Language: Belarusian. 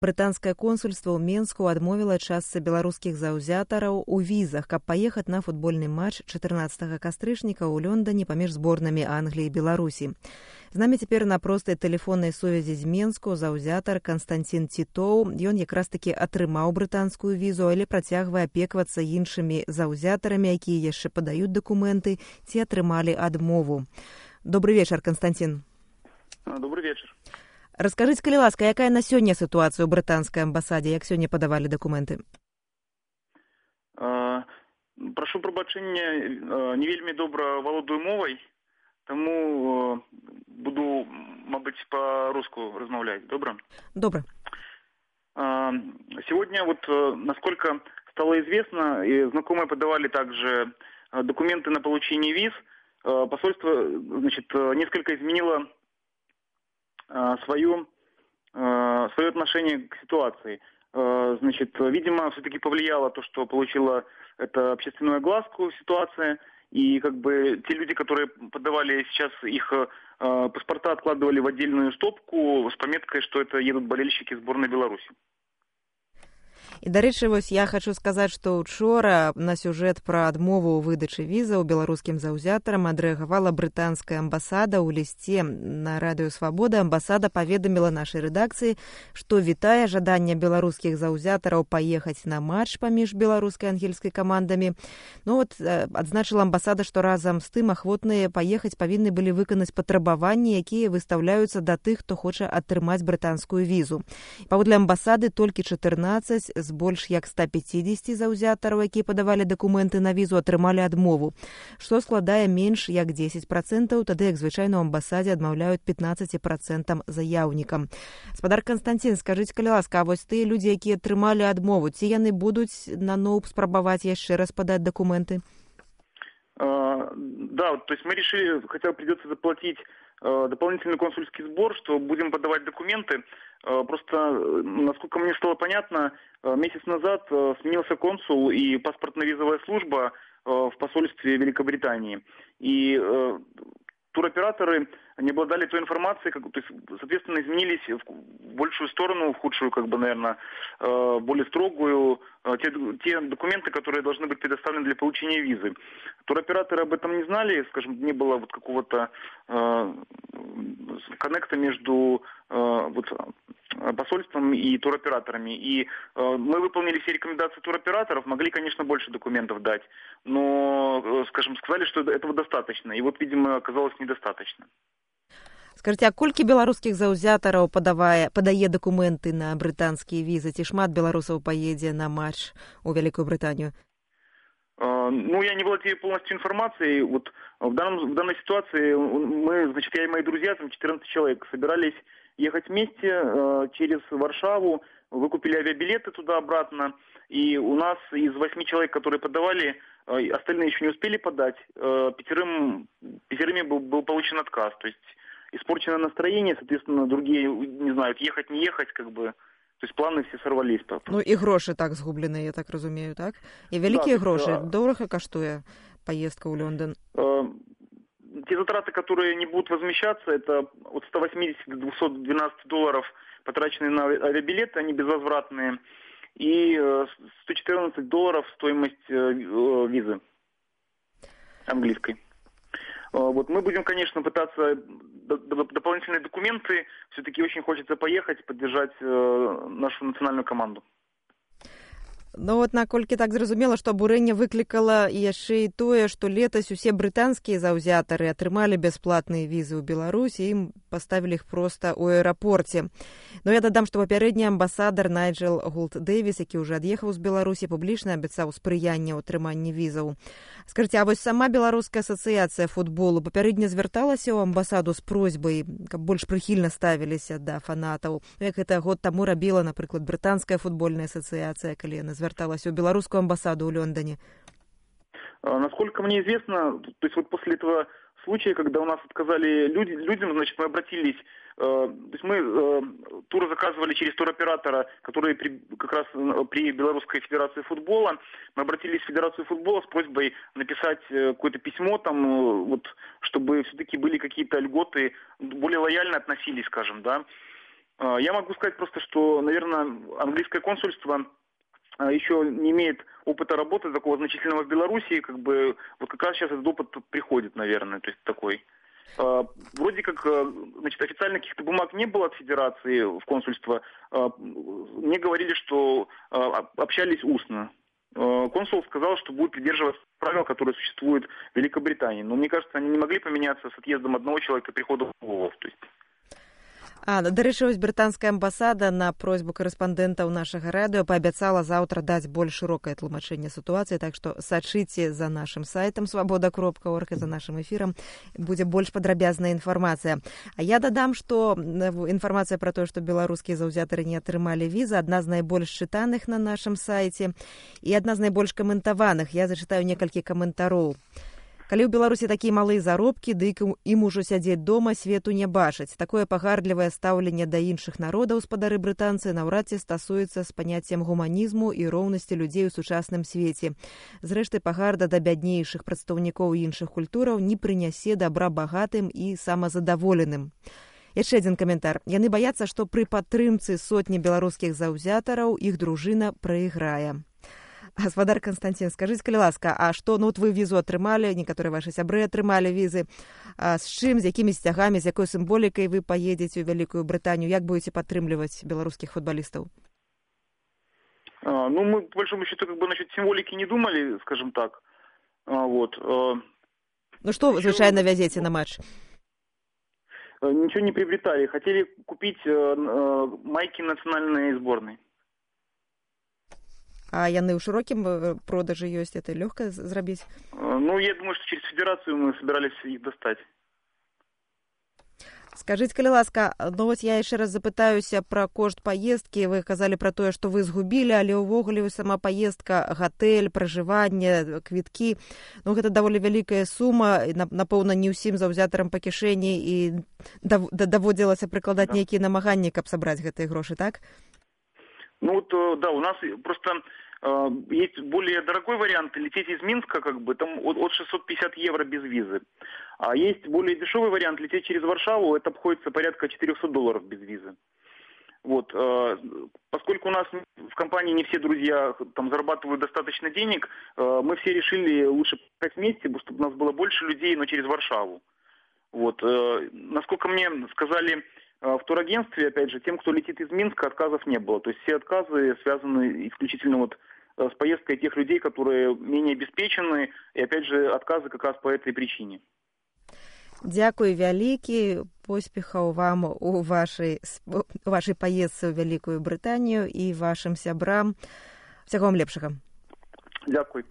Брытанскае консульство ў Менску адмовіла частцы беларускіх заўзятараў у візах, каб паехаць на футбольны матч 14 кастрычніка ў Лондоне паміж зборнамі Англіі і Беларусі. З намі цяпер на простай тэлефоннай сувязі з Менску заўзятар Канстантин Тітоў. Ён якраз такі атрымаў брытанскую візу, але працягвае апеквацца іншымі заўзятарамі, якія яшчэ падаюць дакументы ці атрымалі адмову. Добрый вечар, Константин. Добрый вечар. Раскажыце, калі ласка, якая на сёння сітуацыя ў брытанскай амбасадзе, як сёння падавалі дакументы? Прашу прабачэння, не вельмі добра валодаю мовай, таму буду, мабыць, по-руску размаўляць. Добра? Добра. Сегодня, насколько стало известно, и знакомые подавали также документы на получение виз, посольство, несколько изменило свое отношение к ситуации. Видимо, все-таки повлияло то, что получила это общественную огласку ситуация, и те люди, которые подавали сейчас их паспорта, откладывали в отдельную стопку с пометкой, что это едут болельщики сборной Беларуси. І, дарэчы, я хочу сказаць, што учора на сюжэт пра адмову ў выдачы візаў беларускім заўзятарам адрэагавала брытанская амбасада. У лісце на радыё «Свабода» амбасада паведаміла нашай рэдакцыі, што вітае жаданне беларускіх заўзятараў паехаць на матч паміж беларускай і ангельскай камандамі. Адзначыла амбасада, што разам з тым ахвотныя паехаць павінны былі выканаць патрабаванні, якія выстаўляюцца да тых, хто хоча атрымаць брытанскую візу. Паводле амбасады толькі 14 з больш як 150 заўзятараў, якія падавалі дакументы на візу, атрымалі адмову, што складае менш як 10%, тады як звычайна ў амбасадзе адмаўляюць 15% заяўнікам. Гаспадар Константин, скажыце, калі ласка, а вось тыя людзі, якія атрымалі адмову, ці яны будуць наноў спрабаваць яшчэ раз падаць дакументы? Да, то есть мы решили, хотя придется заплатить дополнительный консульский сбор, что будем подавать документы. Просто, насколько мне стало понятно, месяц назад сменился консул и паспортно-визовая служба в посольстве Великобритании. И туроператоры не обладали той информацией, то есть, соответственно, изменились в большую сторону, в худшую, наверное, более строгую, те документы, которые должны быть предоставлены для получения визы. Туроператоры об этом не знали, не было какого-то коннекта между посольством и туроператорами. И мы выполнили все рекомендации туроператоров, могли, конечно, больше документов дать, но, сказали, что этого достаточно. И видимо, оказалось недостаточно. Скажите, а колькі беларускіх заўзятараў падае дакументы на брытанскія візы? Ці шмат беларусаў паедзе на матч у Вялікую Брытанію? Я не владею полностью информацией. В данной ситуации я и мои друзья, 14 человек, собирались ехать вместе через Варшаву, выкупили авиабилеты туда-обратно, и у нас из 8 человек, которые подавали, остальные еще не успели подать, пятерыми был получен отказ. То есть испорченное настроение, соответственно, другие не знают, ехать, не ехать, то есть планы все сорвались. І грошы так згублены, я так разумею, так? І вялікія грошы, дорага каштуе поездка ў Лондон? Те затраты, которые не будут возмещаться, это от 180 до 212 долларов, потраченные на авиабилеты, они безвозвратные, и 114 долларов стоимость визы английской. Мы будем, конечно, пытаться дополнительные документы. Все-таки очень хочется поехать, поддержать нашу национальную команду. Наколькі так зразумела, што абурэнне выклікала яшчэ і тое, што летась усе брытанскія заўзятары атрымалі бясплатныя візы ў Беларусі, ім паставілі іх проста ў аэрапорце. Я дадам, што папярэдні амбасадар Найджел Гулт-Дэвіс, які ўжо ад'ехаў з Беларусі, публічна абяцаў спрыянне ў атрыманні візаў. Скажыце, а вось сама беларуская асацыяцыя футболу папярэдне звярталася ў амбасаду з просьбай, каб больш прыхільна ставіліся да фанатаў, як гэта год таму рабіла, напрыклад, брытанская футбольная асацыяцыя, калі яна звярталась у беларускую амбасаду ў Лондоне? Насколько мне известно, то есть после этого случая, когда у нас отказали людям, мы обратились, то есть мы тур заказывали через туроператора, который как раз при Белорусской Федерации футбола. Мы обратились в Федерацию футбола с просьбой написать какое-то письмо, чтобы все-таки были какие-то льготы, более лояльно относились, да. Я могу сказать просто, что, наверное, английское консульство еще не имеет опыта работы такого значительного в Беларуси, вот как раз сейчас этот опыт приходит, наверное, то есть такой. Вроде как, значит, официальных каких-то бумаг не было от Федерации в консульство. Мне говорили, что общались устно. Консул сказал, что будет придерживаться правил, которые существуют в Великобритании. Но мне кажется, они не могли поменяться с отъездом одного человека и приходом другого. То есть... Дарэчы, вось брытанская амбасада на просьбу карэспандэнтаў нашага радыё паабяцала заўтра даць больш шырокае тлумачэнне сітуацыі, так што сачыце за нашым сайтам свабода.орг і за нашым эфірам, будзе больш падрабязная інфармацыя. А я дадам, што інфармацыя пра тое, што беларускія заўзятары не атрымалі візы, адна з найбольш чытаных на нашым сайце і адна з найбольш каментаваных. Я зачытаю некалькі каментароў. Калі ў Беларусі такія малыя заробкі, дык ім ужо сядзець дома, свету не бачаць. Такое пагардлівае стаўленне да іншых народаў, спадары брытанцы, наўрад ці стасуецца з паняццем гуманізму і роўнасці людзей у сучасным свеце. Зрэшты, пагарда да бяднейшых прадстаўнікоў іншых культураў не прынясе дабра багатым і самазадаволеным. Яшчэ адзін каментар. Яны баяцца, што пры падтрымцы сотні беларускіх заўзятараў іх дружына прайграе. Гаспадар Константин, скажите, калі ласка, а што, вы візу атрымалі, некаторыя вашы сябры атрымалі візы, з чым, з якімі сцягамі, з якой сімволікай вы паедзеце ў Вялікую Брытанію, як будете падтрымліваць беларускіх футболістаў? Мы, по большому счету, насчет символики не думали, скажем так. Что вы, звычайно, вязете на матч? Ничего не приобретали. Хотели купить майки национальной сборной. А яны ў шырокім продажы ёсць, это лёгка зрабіць? Я думаю, что через федерацию мы собирались их достать. Скажите, калі ласка, я яшчэ раз запытаюся пра кошт паездкі. Вы казалі пра тое, што вы згубілі, але ўвогуле сама паездка, гатэль, пражыванне, квіткі, гэта даволі вялікая сума, напэўна, не ўсім заўзятарам па кішэні і даводзілася прыкладаць нейкія намаганні, каб сабраць гэтыя грошы, так? Да, у нас просто есть более дорогой вариант лететь из Минска, там от 650 евро без визы. А есть более дешевый вариант лететь через Варшаву, это обходится порядка $400 без визы. Поскольку у нас в компании не все друзья там зарабатывают достаточно денег, мы все решили лучше поехать вместе, чтобы у нас было больше людей, но через Варшаву. Насколько мне сказали в турагентстве, опять же, тем, кто летит из Минска, отказов не было. То есть все отказы связаны исключительно с поездкой тех людей, которые менее обеспечены, и опять же отказы как раз по этой причине. Дзякуй вялікі, поспехаў вам у вашай паездцы ў Вялікую Брытанію і вашым сябрам. Усяго вам лепшага. Дзякуй.